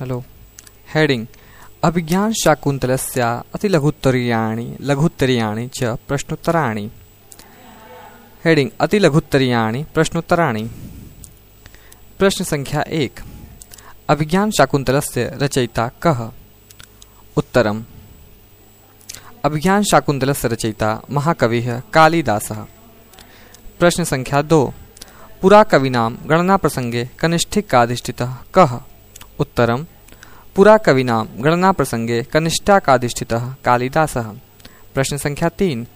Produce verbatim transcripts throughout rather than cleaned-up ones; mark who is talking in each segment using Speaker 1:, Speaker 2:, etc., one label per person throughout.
Speaker 1: Hello heading अभिज्ञान शाकुन्तलस्य अतिलघुत्तरीयाणि लघुत्तरीयाणि च प्रश्नोत्तराणि। Heading अतिलघुत्तरीयाणि प्रश्नोत्तराणि। प्रश्न संख्या एक। अभिज्ञान शाकुन्तलस्य रचयिता कः? उत्तरम् अभिज्ञान शाकुन्तलस्य रचयिता महाकविः कालिदासः। प्रश्न संख्या दो। पुराकविनां गणनाप्रसंगे कनिष्ठिकाधिष्ठितः कः? उत्तरम् पुराकविनां गणनाप्रसंगे कनिष्ठाकाधिष्ठितः कालिदासः। प्रश्न संख्या तीन।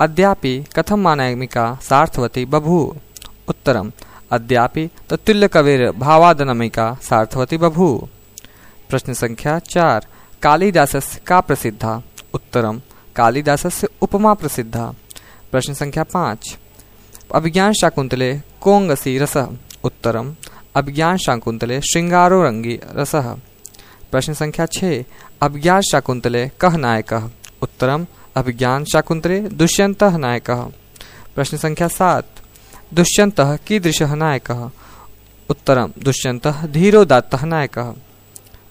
Speaker 1: अद्यापि कथम् अनामिका सार्थवती बभूव? उत्तरम् अद्यापि तत्तुल्यकविर्भावादनमिका सार्थवती बभूव। प्रश्न संख्या चार। कालिदासस्य का प्रसिद्धा? उत्तरम् कालिदासस्य उपमा प्रसिद्धा। प्रश्न संख्या पाँच। अभिज्ञान शाकुन्तले कोऽङ्गसी रसः? उत्तरम् अभिज्ञान शाकुन्तले शृङ्गारोरङ्गी रसः। प्रश्न संख्या छः। अभिज्ञान शाकुन्तले कः नायकः? उत्तरम् अभिज्ञान शाकुन्तले दुष्यन्तः नायकः। प्रश्न संख्या सात। दुष्यन्तः कीदृशः नायकः? उत्तरम् दुष्यन्तः धीरोदात्तः नायकः।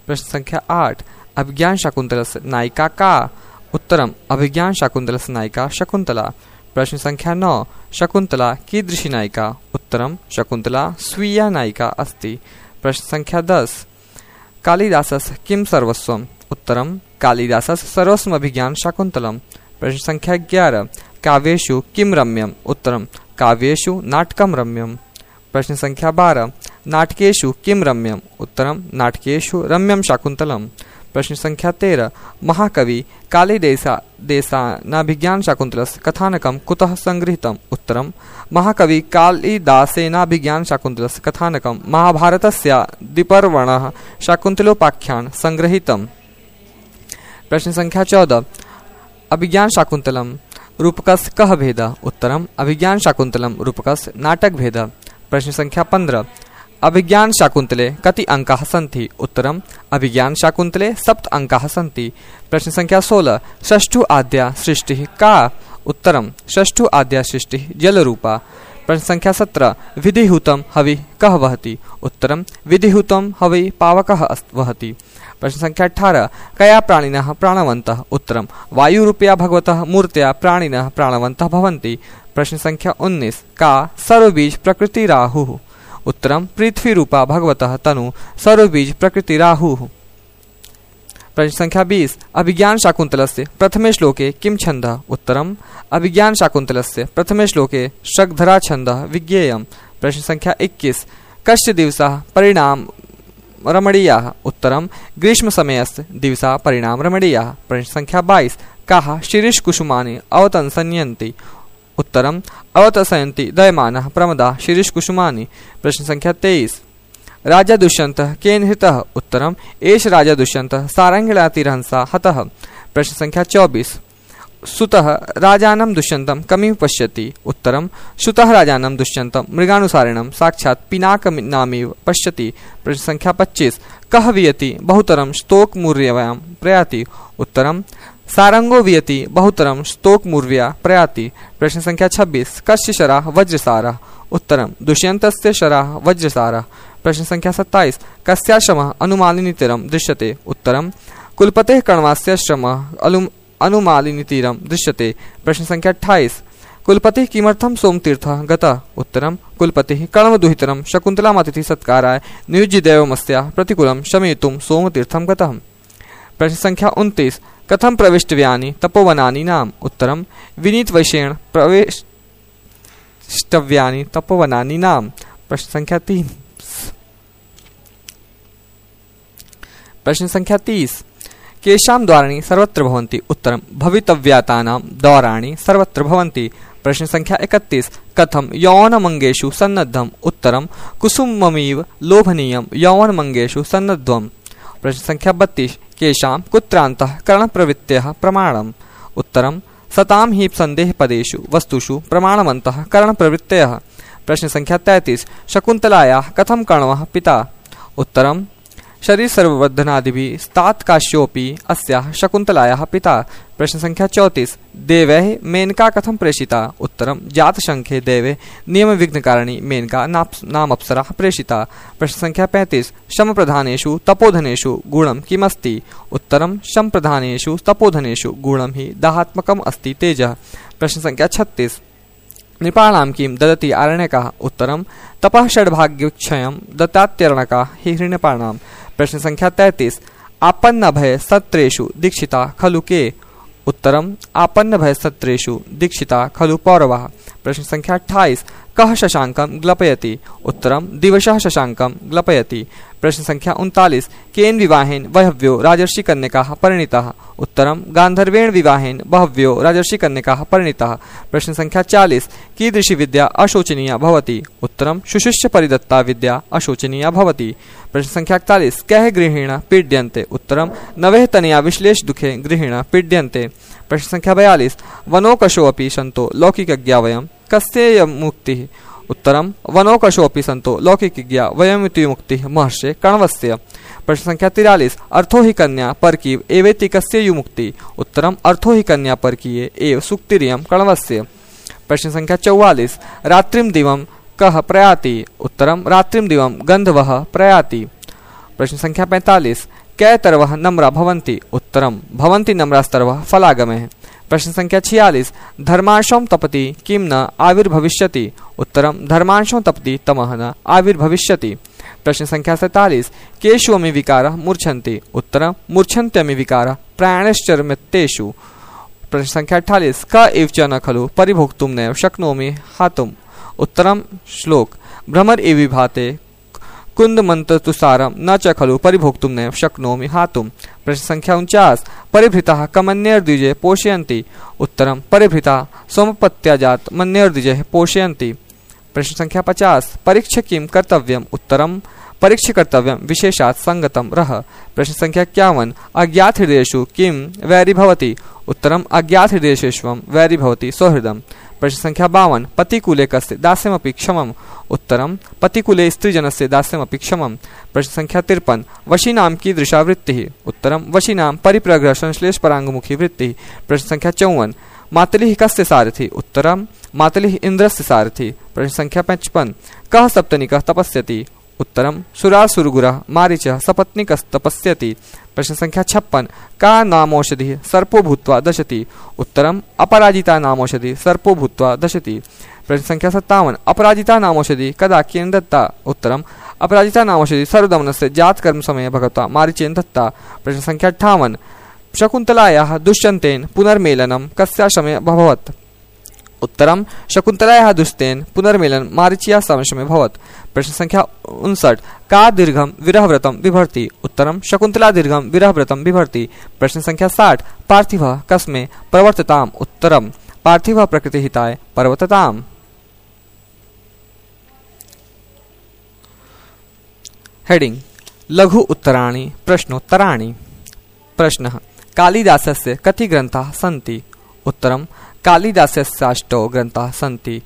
Speaker 1: प्रश्न संख्या आठ। अभिज्ञान शाकुन्तलस्य नायिका का? उत्तरम् अभिज्ञान शाकुन्तलस्य नायिका शकुन्तला। प्रश्न संख्या नौ। शकुन्तला कीदृशी नायिका? उत्तरम् शकुन्तला स्वीया नायिका अस्ति। प्रश्न संख्या दस। कालिदासस्य किं सर्वस्वम्? उत्तरम् कालिदासस्य सर्वस्वम् अभिज्ञान शाकुन्तलम्। प्रश्न संख्या ग्यारह। काव्येषु किं रम्यम्? उत्तरम् काव्येषु नाटकं रम्यम्। प्रश्न संख्या बारह। नाटकेषु किं रम्यम्? उत्तरम् नाटकेषु रम्यं शाकुन्तलम्। प्रश्न संख्या तेरह। महाकवि कालिदासा देशानाभिज्ञान शाकुन्तलस्य कथानकं कुतः संगृहीतम्? उत्तरम् महाकवि कालिदासेनाभिज्ञान शाकुन्तलस्य कथानकं महाभारतस्य द्विपर्वणः शाकुन्तलोपाख्यान संगृहीतम्। प्रश्न संख्या चौदह। अभिज्ञान शाकुन्तलम् रूपकस्य कः भेदः? उत्तरम् अभिज्ञान शाकुन्तलम् रूपकस्य नाटक भेदः। प्रश्न संख्या पंद्रह। अभिज्ञान शाकुन्तले कति अंकाः सन्ति? उत्तरम् अभिज्ञान शाकुन्तले सप्त अंकाः सन्ति। प्रश्न संख्या सोलह। षष्ठु आद्या सृष्टिः का? उत्तरम् षष्ठु आद्या सृष्टिः जलरूपा। प्रश्न संख्या सत्रह। विधिहुतं हवि कः वहति? उत्तरम् विधिहुतं हवि पावकः वहति। प्रश्न संख्या अठारह। कया प्राणिनः प्राणवन्तः? उत्तरम् वायुरूपया भगवतः मूर्त्या प्राणिनः प्राणवन्तः भवन्ति। प्रश्न संख्या उन्नीस। का सर्वबीज प्रकृतिराहुः? उत्तरम् पृथ्वीरूपा भगवतः तनु सर्वबीज प्रकृतिराहुः। प्रश्न संख्या बीस। अभिज्ञान शाकुन्तलस्य प्रथमे श्लोके किं छन्दः? उत्तरम् अभिज्ञान शाकुन्तलस्य प्रथमे श्लोके शग्धरा छन्दः विज्ञेयम्। प्रश्न संख्या इक्कीस। कस्य दिवसः परिणाम रमणीयाः? उत्तरम् ग्रीष्मसमयस्य दिवसा परिणाम रमणीयाः। प्रश्न संख्या बाईस। काः शिरीषकुसुमानि अवतंसन्यन्ति? उत्तरम् अवतंसयन्ति दयमानः प्रमदाः शिरीषकुसुमानि। प्रश्न संख्या तेईस। राजा दुष्यन्तः केन हतः? उत्तरम् एष राजा दुष्यन्तः सारङ्गिलातिरहंसा हतः। प्रश्न संख्या चौबीस। सुतः राजानं दुष्यन्तं कमिव पश्यति? उत्तरम् सुतः राजानं दुष्यन्तं मृगानुसारिणं साक्षात् पिनाकनामिव पश्यति। प्रश्न संख्या पच्चीस। कः वियति बहुतरं स्तोकमुर्व्यां प्रयाति? उत्तरम् सारंगो वियति बहुतरं स्तोकमुर्व्या प्रयाति। प्रश्न संख्या छब्बीस। कस्य शरः वज्रसारः? उत्तरम् दुष्यन्तस्य शरः वज्रसारः। प्रश्न संख्या सत्ताईस। कस्याश्रमः अनुमालिनीतीरं दृश्यते? उत्तरम् कुलपतेः कण्वस्य श्रमः अनुमालिनीतीरं दृश्यते। प्रश्न संख्या अट्ठाईस। कुलपतिः किमर्थं सोमतीर्थः गतः? उत्तरम् कुलपतिः कण्वदुहितरं शकुन्तलामतिथि सत्काराय नियुज्य देवमस्याः प्रतिकूलं शमयितुं सोमतीर्थं गतः। प्रश्न संख्या उनतीस। कथं प्रवेष्टव्यानि तपोवनानि नाम? उत्तरम् विनीतवशेन प्रवेष्टव्यानि तपोवनानि नाम। प्रश्न संख्या तीन। प्रश्न संख्या तीस। केषां द्वाराणि सर्वत्र भवन्ति? उत्तरम् भवितव्यातानां द्वाराणि सर्वत्र भवन्ति। प्रश्न संख्या इकतीस। कथं यौवनमङ्गेषु सन्नद्धम्? उत्तरम् कुसुममिव लोभनीयं यौवनमङ्गेषु सन्नद्धम्। प्रश्न संख्या बत्तीस। केषां कुत्रान्तः करणप्रवृत्तेः प्रमाणम्? उत्तरम् सतां हि सन्देहपदेषु वस्तुषु प्रमाणवन्तः करणप्रवृत्तयः। प्रश्न संख्या तैंतीस। शकुन्तलायाः कथं कण्वः पिता? उत्तरम् शरीर सर्ववर्धनादिभिः स्तात् काश्योऽपि अस्याः शकुन्तलायाः पिता। प्रश्न संख्या चौंतीस। देवैः मेनका कथं प्रेषिता? उत्तरं जातशङ्खे देवे नियमविघ्नकारिणी मेनका नामप्सरा प्रेषिता। प्रश्न संख्या पैंतीस। शमप्रधानेषु तपोधनेषु गुणं किमस्ति? उत्तरं शमप्रधानेषु तपोधनेषु गुणं हि दाहात्मकम् अस्ति तेजः। प्रश्न संख्या छत्तीस। नृपाणां किं ददति आरण्यकः? उत्तरं तपः षड्भाग्यक्षयं दत्तात्यर्णकः हि नृपाणाम्। प्रश्न संख्या तैंतीस। आपन्नभय सत्रेषु दीक्षिता खलु के? उत्तरं आपन्नभय सत्रेषु दीक्षिता खलु पौरवः। प्रश्न संख्या अट्ठाईस। कः शशांकं ग्लपयति? उत्तरं दिवसः शशांकं ग्लपयति। प्रश्न संख्या उनतालीस। केन विवाहेन बह्व्यो राजर्षिकन्यकाः परिणीताः? उत्तरं गान्धर्वेण विवाहेन बह्व्यो राजर्षिकन्यकाः परिणीताः। प्रश्न संख्या चालीस। कीदृशी विद्या अशोचनीया भवति? उत्तरं शुशिष्य परिदत्ता विद्या अशोचनीया भवति। प्रश्न संख्या इकतालीस। कैः गृहेण पीड्यन्ते? उत्तरं नवैः तनया विश्लेष दुखे गृहेण पीड्यन्ते। प्रश्न संख्या बयालीस। वनौकशोऽपि सन्तो लौकिकज्ञा वयं कस्य मुक्तिः? उत्तरं वनौकशोऽपि सन्तो लौकिकज्ञा वयमिति मुक्तिः महर्षे कण्वस्य। प्रश्न संख्या तिरालीस। अर्थो हि कन्या परकीव एवेति कस्य युमुक्ति? उत्तरं अर्थो हि कन्या परकीये एव सुक्तिरियं कण्वस्य। प्रश्न संख्या चौवालीस। रात्रिं दिवं कः प्रयाति? उत्तरं रात्रिं दिवं गन्धर्वः प्रयाति। प्रश्न संख्या पैंतालीस। कै तरवः नम्रा भवन्ति? उत्तरं भवन्ति नम्रास्तरवः फलागमः। प्रश्न संख्या छियालीस। धर्मांशं तपति किं न आविर्भविष्यति? उत्तरं धर्मांशं तपति तमः न आविर्भविष्यति। प्रश्न संख्या सैंतालीस। केषु अमि विकारः मूर्छन्ति? उत्तरं मूर्छन्त्यमि विकारः प्राणश्चर्मत्तेषु। प्रश्न संख्या अट्ठाईस। क एव च न खलु परिभोक्तुं नैव शक्नोमि हातुम्? उत्तरं श्लोक भ्रमर एव विभाते कुन्दमन्ततुसारं न च खलु परिभोक्तुं नैव शक्नोमि हातुम्। प्रश्न संख्या उनचास। परिभृताः कमन्यर्द्विजे पोषयन्ति? उत्तरं परिभृताः सोमपत्याजात मन्यर्द्विजे पोषयन्ति। प्रश्न संख्या पचास। परीक्ष्य किं कर्तव्यम्? उत्तरं परीक्ष्य कर्तव्यं विशेषात् संगतं रह। प्रश्न संख्या इक्यावन। अज्ञात हृदयेषु किं वैरी भवति? उत्तरं अज्ञात हृदयेषु वैरी भवति सौहृदम्। प्रश्न संख्या बावन। पतिकूले कस्य दास्यमपि क्षमम्? उत्तरं पतिकूले स्त्रीजनस्य दास्यमपि क्षमम्। प्रश्न संख्या तिरपन। वशीनां कीदृशा वृत्तिः? उत्तरं वशीनां परिप्रग्रह संश्लेष पराङ्गमुखी वृत्तिः। प्रश्न संख्या चौवन। मातलिः कस्य सारथि? उत्तरं मातलिः इन्द्रस्य सारथि। प्रश्न संख्या पचपन। कः सप्तनिकः तपस्यति? उत्तरं सुरासुरगुरः मारीचः सपत्नीकस्तपस्यति। प्रश्न संख्या छप्पन। का नामौषधिः सर्पो भूत्वा दशति? उत्तरं अपराजिता नामौषधिः सर्पो भूत्वा दशति। प्रश्न संख्या सत्तावन। अपराजिता नामौषधिः कदा केन दत्ता? उत्तरं अपराजिता नामौषधिः सर्वदमनस्य जातकर्म समये भगवता मारीचेन दत्ता। प्रश्न संख्या अट्ठावन। शकुन्तलायाः दुष्यन्तेन पुनर्मेलनं कस्या समये अभवत्? उत्तरं शकुन्तलायाः दुष्यन्तेन पुनर्मेलनं मारीच्या समये भवत्। प्रश्न संख्या उनसठ। का दीर्घं विरहव्रतं बिभर्ति? उत्तरं शकुन्तला दीर्घं विरहव्रतं बिभर्ति। प्रश्न संख्या साठ। पार्थिवः कस्मै प्रवर्तताम्? उत्तरं पार्थिवः प्रकृतिहिताय प्रवर्तताम्। हेडिंग लघु उत्तराणि प्रश्नोत्तराणि। प्रश्नः कालिदासस्य कति ग्रन्थाः सन्ति? उत्तरं कालिदासस्याष्टौ ग्रन्थाः सन्ति।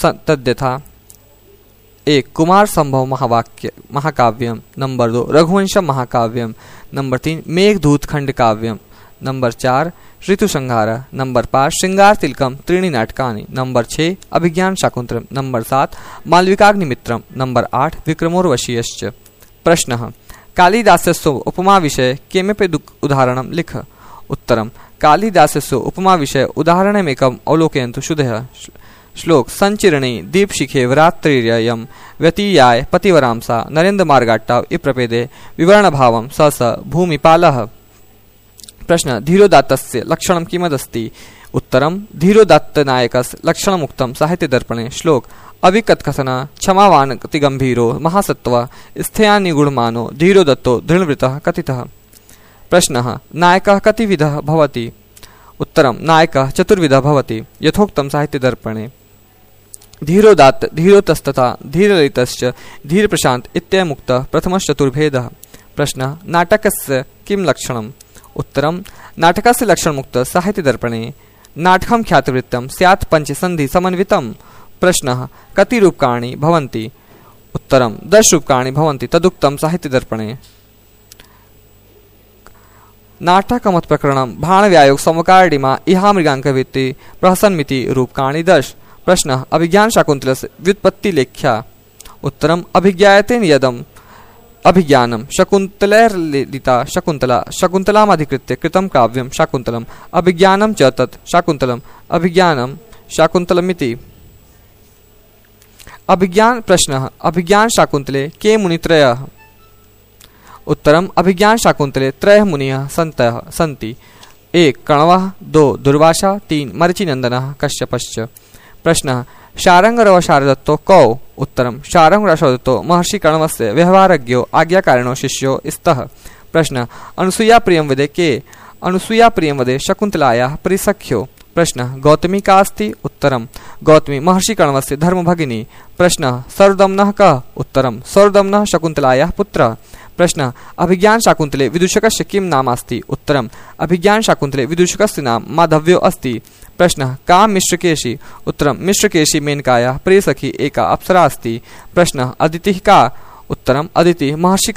Speaker 1: तद्यथा एक कुमार संभव महावाक्य महाकाव्यम, नंबर दो रघुवंश महाकाव्यम, नंबर तीन मेघदूत खंड काव्यम, नंबर चार ऋतुसंहार, नंबर पाँच श्रृंगार तिलकम त्रीणि नाटकानि, नंबर छः अभिज्ञान शाकुंतलम, नंबर सात मालविकाग्निमित्रम, नंबर आठ विक्रमोर्वशीयश्च। प्रश्नः कालिदासस्य उपमा विषये किमपि उदाहरणं लिख। उत्तरं कालिदासस्य उपमा विषये उदाहरणमेकम् अवलोकयन्तु शुद्धः। श्लोक संचिरणे दीपशिखे वरात्रिर्यं व्यतीयाय पतिवरांसा नरेन्द्रमार्गाट्टाव इप्रपेदे विवरणभावं स स भूमिपालः। प्रश्न धीरोदात्तस्य लक्षणं किमदस्ति? उत्तरं धीरोदात्तनायकस्य लक्षणमुक्तं साहित्यदर्पणे। श्लोक अविकथकथन क्षमावान् अतिगम्भीरो महासत्त्व स्थयानिगुणमानो धीरोदत्तो दृढवृतः कथितः। प्रश्नः नायकः कतिविधः भवति? उत्तरं नायकः चतुर्विधः भवति यथोक्तं साहित्यदर्पणे। धीरोदात्त धीरोतस्तथा धीरललितश्च धीरप्रशान्त इत्यमुक्तः प्रथमश्चतुर्भेदः। प्रश्नः नाटकस्य किं लक्षणम्? उत्तरं नाटकस्य लक्षणमुक्तः साहित्यदर्पणे। नाटकं ख्यातवृत्तं स्यात् पञ्चसन्धि समन्वितं। प्रश्नः कति रूपकाणि भवन्ति? उत्तरं दश रूपकाणि भवन्ति तदुक्तं साहित्यदर्पणे। नाटकमत प्रकरणम भाणव्यायोग समकारिणीमा इहा मृगांकविति प्रहसन्मिति रूपकाणि दश। प्रश्न अभिज्ञान शाकुंतलस्य व्युत्पत्ति लेख्या। उत्तरम अभिज्ञायते यदम अभिज्ञानम शकुंतलैर्लिता शकुंतला शकुंतलामधिकृत्य कृतं काव्यं शाकुंतलम अभिज्ञानम च तत् शाकुंतलम अभिज्ञानम शाकुंतलमिति। अभिज्ञान प्रश्न अभिज्ञान शाकुंतले के मुनित्रयः। उत्तरम अभिज्ञान शाकुंतले त्रयः मुनियः सन्तः सन्ति। एक कण्वः, दो दुर्वासा, तीन मरीचिनन्दनः कश्यपश्च। प्रश्न शारंगरव शारदत्तो कौ। उत्तरम शारंगरवशारदत्तो महर्षि कण्वस्य व्यवहारज्ञो आज्ञाकारिणो शिष्यो स्तः। प्रश्न अनुसूया प्रियं वदे के। अनुसूया प्रियं वदे शकुंतलायाः परिसख्यो। प्रश्न गौतमी का अस्ति। उत्तरम गौतमी महर्षि कण्वस्य धर्मभगिनी। प्रश्न सर्वदम्नः कः। उत्तरम सर्वदम्नः शकुंतलायाः पुत्रः। प्रश्न अभिज्ञान शाकुंतले विदूषकस्य किं नाम अस्ति। उत्तरम अभिज्ञान शाकुंतले विदूषकस्य नाम माधव्यो अस्ति। प्रश्न का मिश्रकेशी। उत्तरम मिश्रकेशी मेनकायाः प्रियसखी एका अप्सरा अस्ति। प्रश्न अदितिः का। उत्तरम अदितिः महर्षि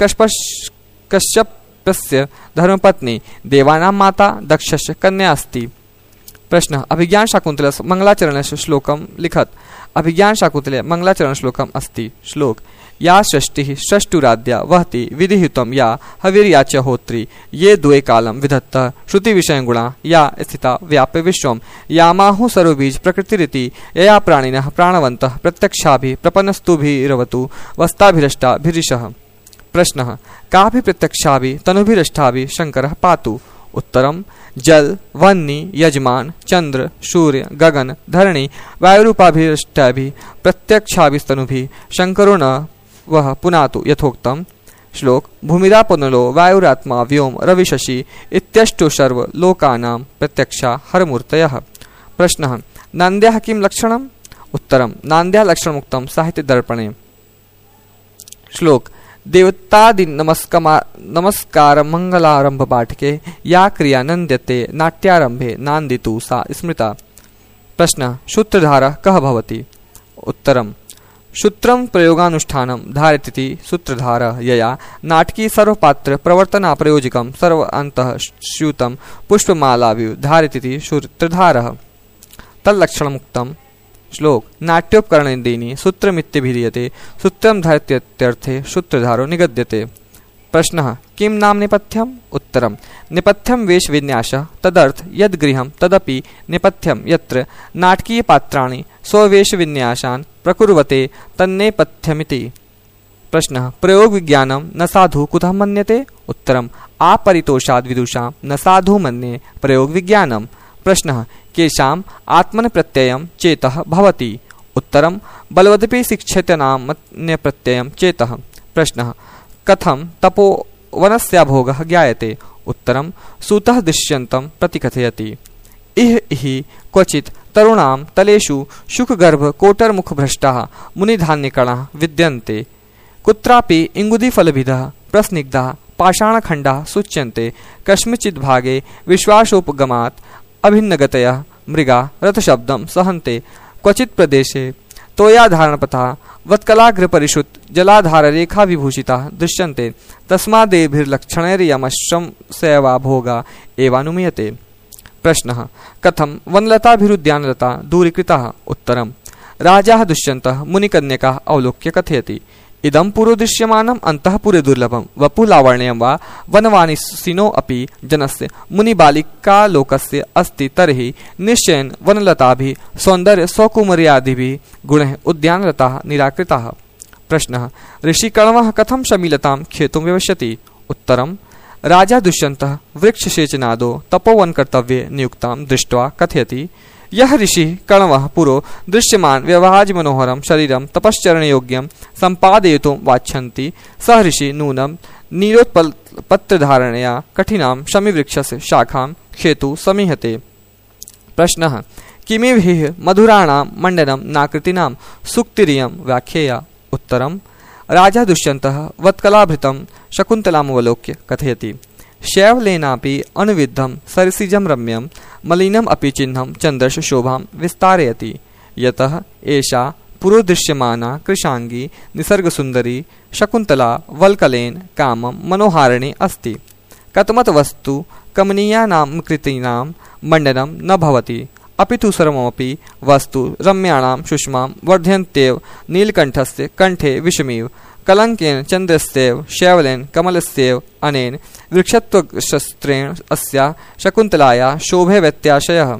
Speaker 1: कश्यपस्य धर्मपत्नी देवानां माता दक्षस्य कन्या अस्ति। प्रश्न अभिज्ञान शाकुंतलस्य मंगलाचरणस्य श्लोकं लिखत। अभिज्ञान शाकुंतले मंगलाचरण श्लोकम् अस्ति। श्लोक या षष्टिः षष्टुराद्या वहति विधियुतं या हविर्या च होत्री ये द्वे कालं विधत्तः श्रुति विषय गुणा या स्थिता व्याप्य विश्वं यामाहु सर्वबीज प्रकृतिरिति यया प्राणिनः प्राणवन्तः प्रत्यक्षाभि प्रपन्नस्तुभिरवतु वस्ताभिरष्टाभिरिषः। प्रश्नः काभि प्रत्यक्षाभि तनुभिरष्टाभि शंकरः पातु। उत्तरम जल वह्नि यजमान चंद्र सूर्य गगन धरणी वायुरूपाभिरष्टाभि प्रत्यक्षाभिस्तनुभिः शंकरो न वह पुनातु यथोक्तम। श्लोक भूमिरा पुनलो वायुरात्मा व्योम रविशशि इत्यष्टो सर्व लोकानां प्रत्यक्षा हरमूर्तयः। प्रश्नः नान्द्याः किं लक्षणम्। उत्तरम नान्द्याः लक्षणमुक्तं साहित्य दर्पणे। श्लोक देवतादि नमस्कमा नमस्कार मंगलारंभ पाठके या क्रिया नन्द्यते नाट्यारंभे नान्दितु सा स्मृता। प्रश्न सूत्रधारः कः भवति। उत्तरम सूत्रं प्रयोगानुष्ठानं धारयति सूत्रधारः यया नाटकी सर्वपात्र प्रवर्तना प्रयोजकं सर्वान्तः स्यूतं पुष्पमालाभिः धारयति सूत्रधारः तल्लक्षणमुक्तम्। श्लोक नाट्योपकरणेन्दीनि सूत्रमित्यभिधीयते सूत्रं धारयत्यर्थे सूत्रधारो निगद्यते। प्रश्नः किं नाम नेपथ्यम्। उत्तरं नेपथ्यं वेशविन्यासः तदर्थ यद् गृहं तदपि नेपथ्यं यत्र नाटकीयपात्राणि स्ववेशविन्यासान् प्रकुर्वते तन्नेपथ्यमिति। प्रश्नः प्रयोगविज्ञानं न साधु कुतः मन्यते। उत्तरम् आपरितोषाद् विदुषां न साधु मन्ये प्रयोगविज्ञानं। प्रश्नः केषाम् आत्मन प्रत्ययं चेतः भवति। उत्तरं बलवदपि शिक्षितनामन्यप्रत्ययं चेतः। प्रश्नः कथं तपोवनस्याभोगः ज्ञायते। उत्तरं सूतः दृश्यन्तं प्रतिकथयति। इह इहि क्वचित् तरुणां तलेषु शुकगर्भकोटरमुखभ्रष्टाः मुनिधान्यकणाः विद्यन्ते। कुत्रापि इंगुदीफलभिदः प्रस्निग्धाः पाषाणखण्डाः सूच्यन्ते। कस्मिंश्चित् भागे विश्वासोपगमात् अभिन्नगतयः मृगा रथशब्दं सहन्ते। क्वचित् प्रदेशे तोयाधारणपथा वत्कलाग्रपरिषुत जलाधाररेखा विभूषिताः दृश्यन्ते। तस्मादेभिर्लक्षणैर्यमश्रमसेवा भोगा एवानुमीयते। प्रश्नः कथं वनलताभिरुद्यानलता दूरीकृताः। उत्तरं राजाः दुष्यन्तः मुनिकन्यकाः अवलोक्य कथयति। इदं पुरोदृश्यमानम् अन्तःपुरे दुर्लभं वपुलावण्यं वा वनवानिसिनो अपि जनस्य मुनिबालिकालोकस्य अस्ति तर्हि निश्चयेन वनलताभिः सौन्दर्य स्वकुमार्यादिभिः गुणैः उद्यानलताः निराकृताः। प्रश्नः ऋषिकण्वः कथं शमीलतां खेतुं व्यवस्यति। उत्तरं राजा दुष्यन्तः वृक्षसेचनादो तपोवनकर्तव्ये नियुक्तां दृष्ट्वा कथयति। यः ऋषिः कण्वः पुरो दृश्यमान व्यवहाजमनोहरं शरीरं तपश्चरणयोग्यं सम्पादयितुं वाञ्छन्ति सः ऋषिः नूनं नीलोत्पलपत्रधारणया कठिनां शमीवृक्षस्य शाखां खेतु समीहते। प्रश्नः किमिव हि मधुराणां मण्डनं नाकृतीनां सूक्तिरियं व्याख्येया। उत्तरं राजा दुष्यन्तः वत्कलाभृतं शकुन्तलामवलोक्य कथयति। शैवलेनापि अनुविद्धं सरसिजं रम्यं मलिनम् अपि चिह्नं चन्द्रस्य शोभां विस्तारयति। यतः एषा पुरोदृश्यमाना कृशांगी निसर्गसुन्दरी शकुन्तला वल्कलेन कामं मनोहारिणी अस्ति। कतमत वस्तु कमनीयानां कृतीनां मण्डनं न भवति, अपि तु सर्वमपि वस्तु रम्याणां सुषमां वर्धयन्त्येव। नीलकण्ठस्य कंठे विषमिव, कलंकेन चन्द्रस्यैव, शैवलेन कमलस्यैव, अनेन वृक्षत्वशस्त्रेण अस्या शकुन्तलाया शोभे व्यत्याशयः।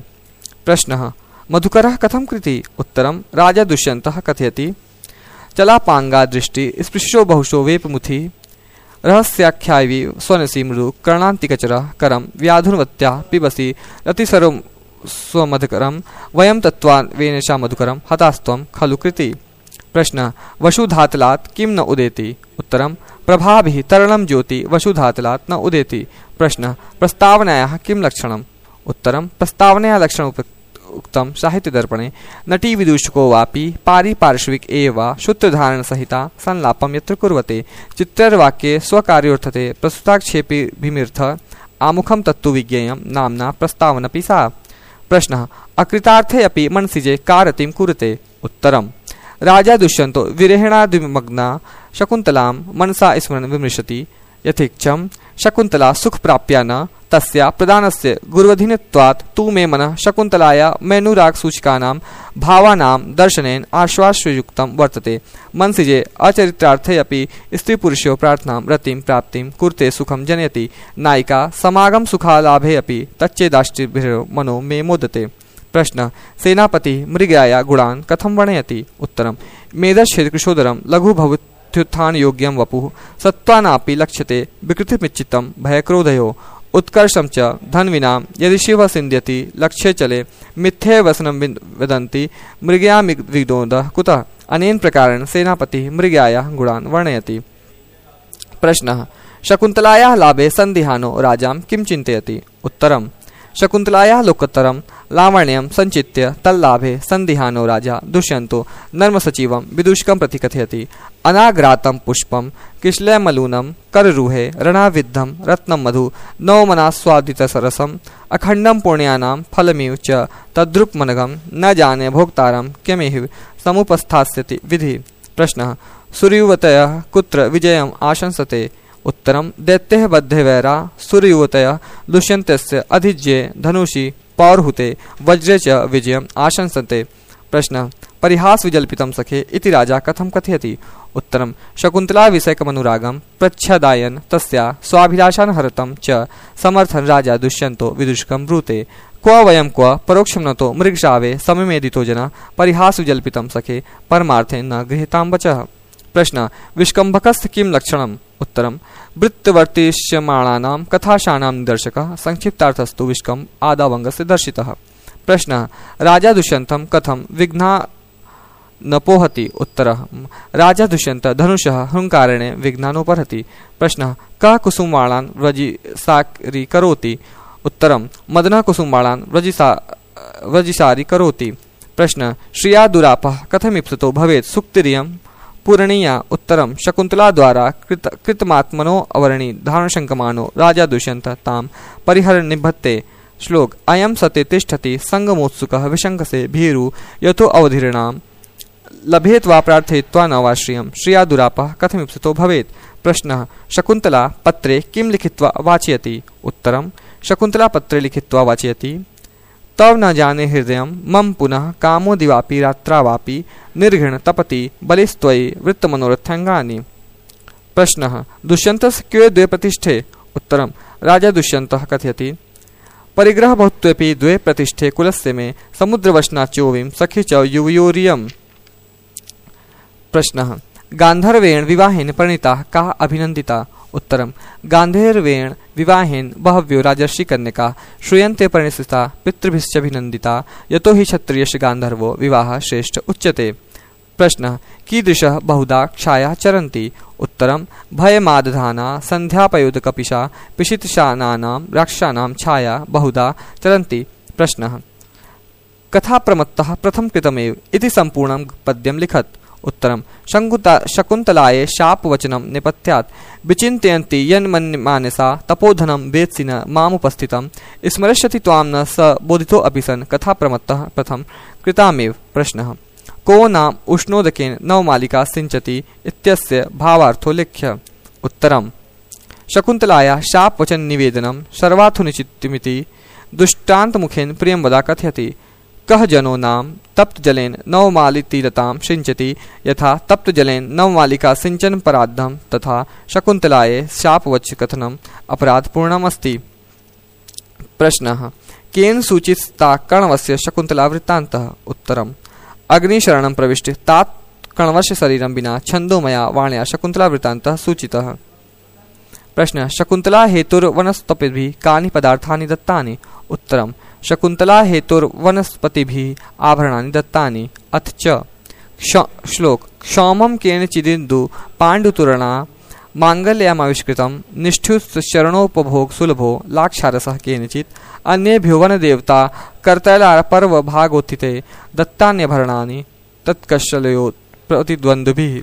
Speaker 1: प्रश्नः मधुकरः कथं कृति? उत्तरं राजा दुष्यन्तः कथयति। चलापांगा दृष्टि स्पृशो बहुशो वेपमुखी, रहस्याख्यायी स्वनसी मृदु कर्णान्तिकचरः, करं व्याधुनवत्या पिबसि रतिसरो स्वमधुकरं, वयं तत्त्वा वेनेशा मधुकरं हतास्त्वं खलु कृति। प्रश्न वसुधातलात् किं न उदेति? उत्तरं प्रभाभिः तरलं ज्योति वसुधातलात् न उदेति। प्रश्न प्रस्तावनायाः किं लक्षणम्? उत्तरं प्रस्तावनाया लक्षणम् उक्तं साहित्यदर्पणे। नटी विदूषको वापि पारिपार्श्विक एव सूत्रधारणसहिता संलापं यत्र कुर्वते, चित्रवाक्ये स्वकार्योर्थते प्रस्तुताक्षेपिभिमिर्थ आमुखं तत्तु विज्ञेयं नाम्ना प्रस्तावनपि सा। प्रश्नः अकृतार्थे अपि मनसिजे का रतिं कुरुते? उत्तरं राजा दुष्यन्तो विरहेणादिमग्ना शकुन्तलां मनसा स्मरन् विमृशति। यथेच्छं शकुन्तला सुखप्राप्या न तस्या प्रदानस्य गुरुवधीनत्वात् तु मे मनः शकुन्तलाया मैनुरागसूचकानां भावानां दर्शनेन आश्वासयुक्तं वर्तते। मनसिजे अचरित्रार्थे अपि स्त्रीपुरुषयो प्रार्थनां रतिं प्राप्तिं कुरुते सुखं जनयति। नायिका समागम सुखालाभे अपि तच्चेदाष्टिभिरो मनो मे मोदते। प्रश्न सेनापति मृगयाया गुणान् कथं वर्णयति? उत्तरं मेधश्चेदकृशोदरं लघु भवत्युत्थान योग्यं वपुः, सत्त्वानापि लक्ष्यते विकृतिमिच्चितं भयक्रोधयो, उत्कर्षं च धन्विनां यदि शिव सिन्ध्यति लक्ष्ये चले, मिथ्ये वसनं वदन्ति मृगयामिविदोदः कुतः? अनेन प्रकारेण सेनापतिः मृगयायाः गुणान् वर्णयति। प्रश्नः शकुन्तलायाः लाभे सन्दिहानो राजां किं चिन्तयति? उत्तरं शकुन्तलायाः लोकोत्तरं लावण्यं सञ्चित्य तल्लाभे सन्दिहानो राजा दुष्यन्तो नर्मसचिवं विदूषकं प्रति कथयति। अनाग्रातं पुष्पं किश्लयमलूनं कररुहे रणाविद्धं रत्नं मधु नवमनास्वादितसरसम् अखण्डं पुण्यानां फलमिव च तद्रुपमनघं न जाने भोक्तारं किमिह समुपस्थास्यति विधि। प्रश्नः सूर्ययुवतयः कुत्र विजयम् आशंसते? उत्तरं दैत्यः बद्धे वैरा सूर्ययुवतयः दुष्यन्तस्य अधिज्ये धनुषि पौर्हुते वज्रे च विजयम् आशंसते। प्रश्नः परिहास विजल्पितं सखे इति राजा कथं कथयति? उत्तरं शकुन्तला विषयकमनुरागं प्रच्छदायन् तस्या स्वाभिलाषान् हरतं च समर्थन राजा दुष्यन्तो विदूषकं ब्रूते। क्व वयं क्व परोक्षं नतो मृगशावे समेदितो जना परिहास विजल्पितं सखे परमार्थे न गृहीतां वचः। प्रश्न विष्कम्भकस्य किं लक्षणम्? उत्तरं वृत्तवर्तिष्यमाणानां कथाशानां निदर्शकः, संक्षिप्तार्थस्तु विष्कम् आदावङ्गस्य दर्शितः। प्रश्नः राजा दुष्यन्तं कथं विघ्ना न पोहति? उत्तरः राजा दुष्यन्त धनुषः हुङ्कारेण विघ्नानोपहति। प्रश्नः कः कुसुमवालान् व्रजिसारीकरोति? उत्तरं मदनः कुसुमवालान् व्रजिसा व्रजिसारीकरोति। प्रश्नः श्रिया दुरापः कथमिप्सितो भवेत् सुक्तिरियं पूरणीया? उत्तरं शकुन्तला द्वारा कृत कृतमात्मनो अवर्णी धारणशङ्कमानो राजा दुष्यन्त तां परिहर निबद्धते। श्लोक अयं सते तिष्ठति संगमोत्सुकः विशंकसे भीरु यतो अवधीर्णां लभेत वा प्रार्थयित्वा न वा श्रियं श्रिया दुरापः कथमिप्सितो भवेत्? प्रश्नः शकुन्तला पत्रे किं लिखित्वा वाचयति? उत्तरं शकुन्तला पत्रे लिखित्वा वाचयति तव न जाने हृदयं मम पुनः कामो दिवापि रात्रावापि निर्घृण तपति बलिस्त्वयि वृत्तमनोरथाङ्गानि। प्रश्नः दुष्यन्तस्य के द्वे प्रतिष्ठे? उत्तरं राजा दुष्यन्तः कथयति परिग्रह बहुत्वेपि द्वे प्रतिष्ठे कुलस्य मे समुद्रवशनाच्योविं सखी च युवयोरियम्। प्रश्नः गान्धर्वेण विवाहेन परिणीता का अभिनन्दिता? उत्तरं गान्धर्वेण विवाहेन बहव्यो राजर्षिकन्यका श्रूयन्ते परिणिता पितृभिश्चाभिनन्दिता यतो हि क्षत्रियस्य गान्धर्वो विवाहः श्रेष्ठ उच्यते। प्रश्नः कीदृशः बहुधा क्षायाः चरन्ति? उत्तरं भयमादधाना सन्ध्यापयोदकपिशा पिशितशानानां राक्षसानां छाया बहुधा चरन्ति। प्रश्नः कथाप्रमत्तः प्रथम कृतमेव इति सम्पूर्णं पद्यं लिखत्। उत्तरं शकुन्तलायै शापवचनं नेपथ्यात् विचिन्तयन्ति यन्मन्यमानसा तपोधनं वेत्सि न मामुपस्थितं स्मरिष्यति त्वां न स बोधितो अपि सन् कथाप्रमत्तः प्रथम कृतामेव। प्रश्नः को नाम उष्णोदकेन नवमालिका सिञ्चति इत्यस्य भावार्थो लिख्य। उत्तरं शकुन्तलायाः शापवचननिवेदनं सर्वार्थनिश्चितमिति दुष्टान्तमुखेन प्रियंवदा कथयति। कः जनो नाम तप्तजलेन नवमालितीरतां सिञ्चति यथा तप्तजलेन नवमालिका सिञ्चन पराद्धं तथा शकुन्तलायै शापवचकथनम् अपराधपूर्णमस्ति। प्रश्नः केन सूचिता कण्वस्य शकुन्तला वृत्तान्तः? उत्तरम् अग्निशरणं प्रविष्ट तात् कण्वस्य शरीरं विना छन्दोमया वाण्या शकुन्तला वृत्तान्तः सूचितः। प्रश्नः शकुन्तला हेतुर्वनस्पतिभिः कानि पदार्थानि दत्तानि? उत्तरम् शकुन्तला हेतुर्वनस्पतिभिः आभरणानि दत्तानि। अथ च श्लोक क्षौमं केनचिदिन्दु पाण्डुतुरणा माङ्गल्यमाविष्कृतं निष्ठुश्चरणोपभोग सुलभो लाक्षारसः केनचित् अन्येभ्यो वनदेवता कर्तैलापर्व भागोत्थिते दत्तान्यभरणानि तत्कशलयो प्रतिद्वन्द्विभिः।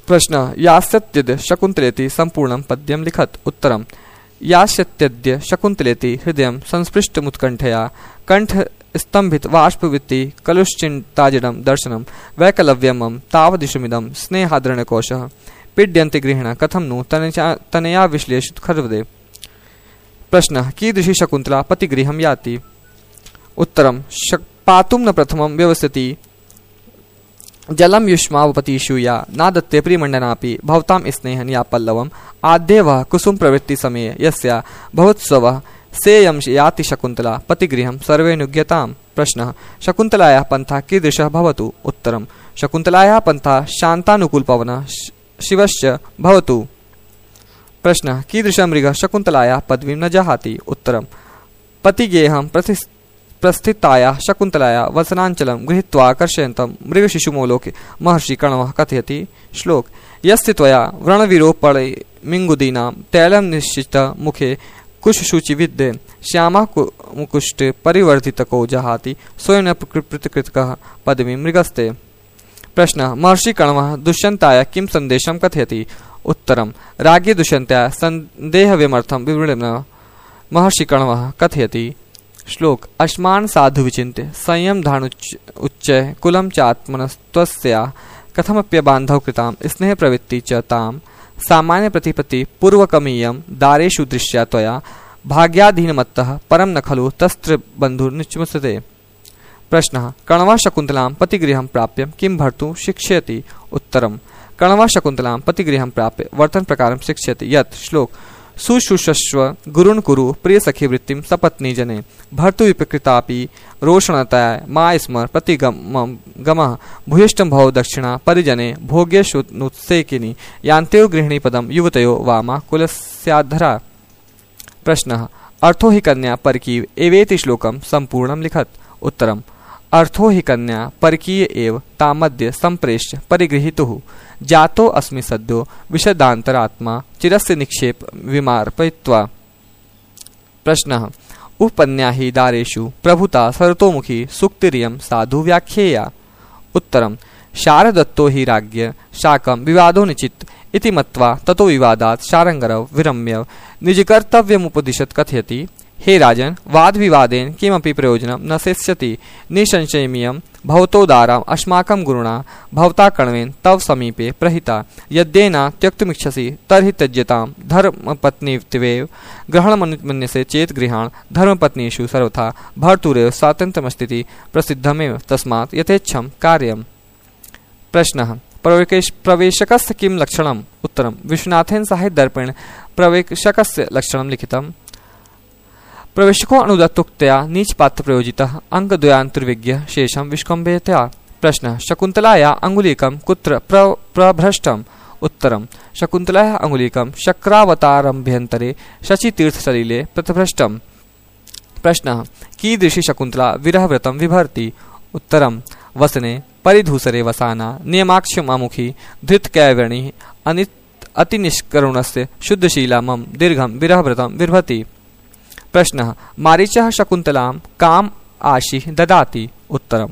Speaker 1: प्रश्न यास्यत्यद्य शकुन्तलेति सम्पूर्णं पद्यं लिखत। उत्तरं यास्यत्यद्य शकुन्तलेति हृदयं संस्पृष्टमुत्कण्ठया कंठ स्तंभित बाष्पवृत्ति कलुश्चिन्ताजडं दर्शनं वैकलव्यमं तावदिशमिदं स्नेहादरणकोशः पीड्यन्ते गृहिणः कथं नु तनया विश्लेषित खर्वदे। प्रश्नः कीदृशी शकुन्तला पतिगृहं याति? उत्तरं पातुं न प्रथमं व्यवस्थिति जलं युष्मावपतिषूया नादत्ते प्रियमण्डनापि भवतां स्नेहं या पल्लवम् आद्यवः कुसुम प्रवृत्ति समये यस्या भवोत्सवः सेयं याति शकुन्तला पतिगृहं सर्वेऽनुज्ञतां। प्रश्नः शकुन्तलायाः पन्था कीदृशः भवतु? उत्तरं शकुन्तलायाः पन्था शान्तानुकूलपवनः शिवश्च भवतु। प्रश्नः कीदृशः मृगः शकुन्तलायाः पदवीं न जहाति? उत्तरं पतिगेहं प्रति प्रस्थितायाः शकुन्तलायाः वसनाञ्चलं गृहीत्वा कर्षयन्तं मृगशिशुमोलोके महर्षि कण्वः कथयति। श्लोक यस्य त्वया व्रणविरोपणे मिङ्गुदीनां तैलं निश्चित मुखे कुशशुचिविद्ये श्यामः मुकुष्ट परिवर्धितको जहाति स्वयं पृथकृतकः पदवीं मृगस्ते। प्रश्नः महर्षि कण्वः दुष्यन्ताय किं सन्देशं कथयति? उत्तरं राज्ञे दुष्यन्ताय सन्देहविमर्थं विवरणं महर्षि कण्वः कथयति। श्लोक अस्मान् साधु विचिन्त्य संयम धानुच्च उच्चय कुलं चात्मनस्त्वस्या कथमप्यबान्धव कृतां स्नेह प्रवृत्ति च तां सामान्य प्रतिपत्ति पूर्वकमीयं दारेषु दृश्या त्वया भाग्याधीनमत्तः परं न खलु तस्त्र बन्धुर्निचमुच्यते। प्रश्नः कण्वः शकुन्तलां पतिगृहं प्राप्य किं भर्तुं शिक्षयति? उत्तरं कण्वः शकुन्तलां पतिगृहं प्राप्य वर्तनप्रकारं शिक्षयति यत् श्लोक सुशुषस्व गुरुन् कुरु प्रियसखी वृत्तिं सपत्नी जने भर्तुविपकृतापि रोषणतया मा स्मर प्रतिगमं गमः भूयिष्ठं भव दक्षिणा परिजने भोग्येषु नुत्सेकिनी यान्त्यो गृहिणीपदं युवतयो वामा कुलस्याद्धरा। प्रश्नः अर्थो हि कन्या परकीय एवेति श्लोकं सम्पूर्णं लिखत। उत्तरम् अर्थो हि कन्या परकीय एव तामद्य सम्प्रेष्य परिगृहीतुः जातो अस्मि सद्यो विशदान्तरात्मा चिरस्य निक्षेप विमार्पयित्वा। प्रश्नः उपन्या हि दारेषु प्रभुता सरतोमुखी सुक्तिरियं साधु व्याख्येया। उत्तरं शारदत्तो हि राज्ञ शाकं विवादो निचित इति मत्वा ततो विवादात् शारङ्गरव विरम्य निजकर्तव्यमुपदिशत् कथयति। हे राजन वाद विवादेन किमपि प्रयोजनं न सेत्स्यति निसंशयमियं भवतोदाराम् अस्माकं गुरुणा भवता कण्वेन तव समीपे प्रहिता यद्येन त्यक्तुमिच्छसि तर्हि त्यज्यतां धर्मपत्नीत्वेव ग्रहणमनुमन्यसे चेत् गृहाण धर्मपत्नीषु सर्वथा भर्तुरेव स्वातन्त्र्यमस्तीति प्रसिद्धमेव तस्मात् यथेच्छं कार्यम्। प्रश्नः प्रवेशकस्य किं लक्षणम्? उत्तरं विश्वनाथेन साहित्यदर्पणेन प्रवेशकस्य लक्षणं लिखितम्। प्रवेशको अनुदत्तोक्तया नीचपात्र प्रयोजितः अंगद्वयान्तर्विज्ञ शेषं विष्कम्भयतया। प्रश्नः शकुन्तलाया अंगुलीकं कुत्र प्र प्रभ्रष्टम्? उत्तरं शकुन्तलाया अंगुलीकं शक्रावतारम्भ्यन्तरे शचीतीर्थसलिले प्रतिभ्रष्टम्। प्रश्नः कीदृशी शकुन्तला विरहव्रतं विभर्ति? उत्तरं वसने परिधूसरे वसाना नियमाक्षमामुखी धृतकैवर्णी अनित अतिनिष्करुणस्य शुद्धशीला मम दीर्घं विरहव्रतं विर्भति। प्रश्नः मारीचः शकुन्तलां काम आशीः ददाति? उत्तरं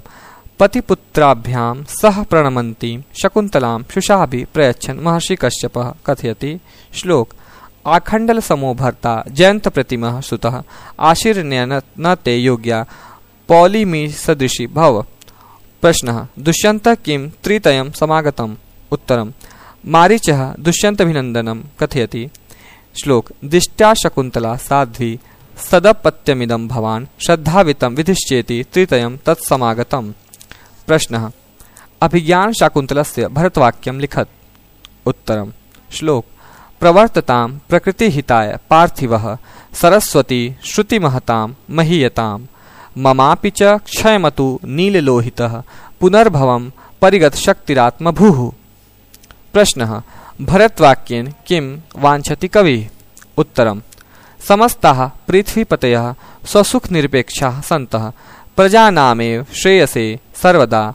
Speaker 1: पतिपुत्राभ्यां सह प्रणमन्तीं शकुन्तलां शुशाभिः प्रयच्छन् महर्षि कश्यपः कथयति। श्लोक आखण्डल समो भर्ता जयंत प्रतिमः सुतः आशीर्ण्य न ते योग्या पौलिमी सदृशी भव। प्रश्नः दुष्यन्तः किं त्रितयं समागतम्? उत्तरं मारीचः दुष्यन्तभिनन्दनं कथयति। श्लोक दिष्ट्या शकुन्तला साध्वी सदपत्यमिदं भवान् श्रद्धावितं विधिश्चेति त्रितयं तत्समागतम्। प्रश्नः अभिज्ञान शाकुन्तलस्य भरतवाक्यं लिखत्। उत्तरम् श्लोक प्रवर्ततां प्रकृतिहिताय पार्थिवः सरस्वती श्रुतिमहतां महीयतां ममापि च क्षयमतु नीललोहितः पुनर्भवं परिगतशक्तिरात्मभूः। प्रश्नः भरतवाक्येन किं वाञ्छति कविः? उत्तरम् समस्ताः पृथ्वीपतयः स्वसुखनिरपेक्षाः सन्तः प्रजानामेव श्रेयसे सर्वदा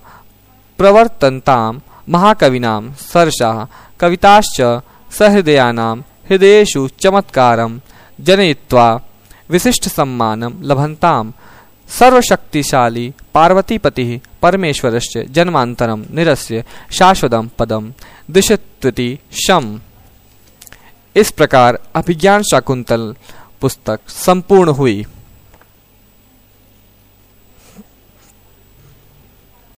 Speaker 1: प्रवर्तन्तां महाकविनां सरसाः कविताश्च सहृदयानां हृदयेषु चमत्कारं जनयित्वा विशिष्टसम्मानं लभन्तां सर्वशक्तिशाली पार्वतीपतिः परमेश्वरस्य जन्मान्तरं निरस्य शाश्वतं पदं दिशत्विति शम्। इस प्रकार अभिज्ञान शाकुंतल पुस्तक संपूर्ण हुई।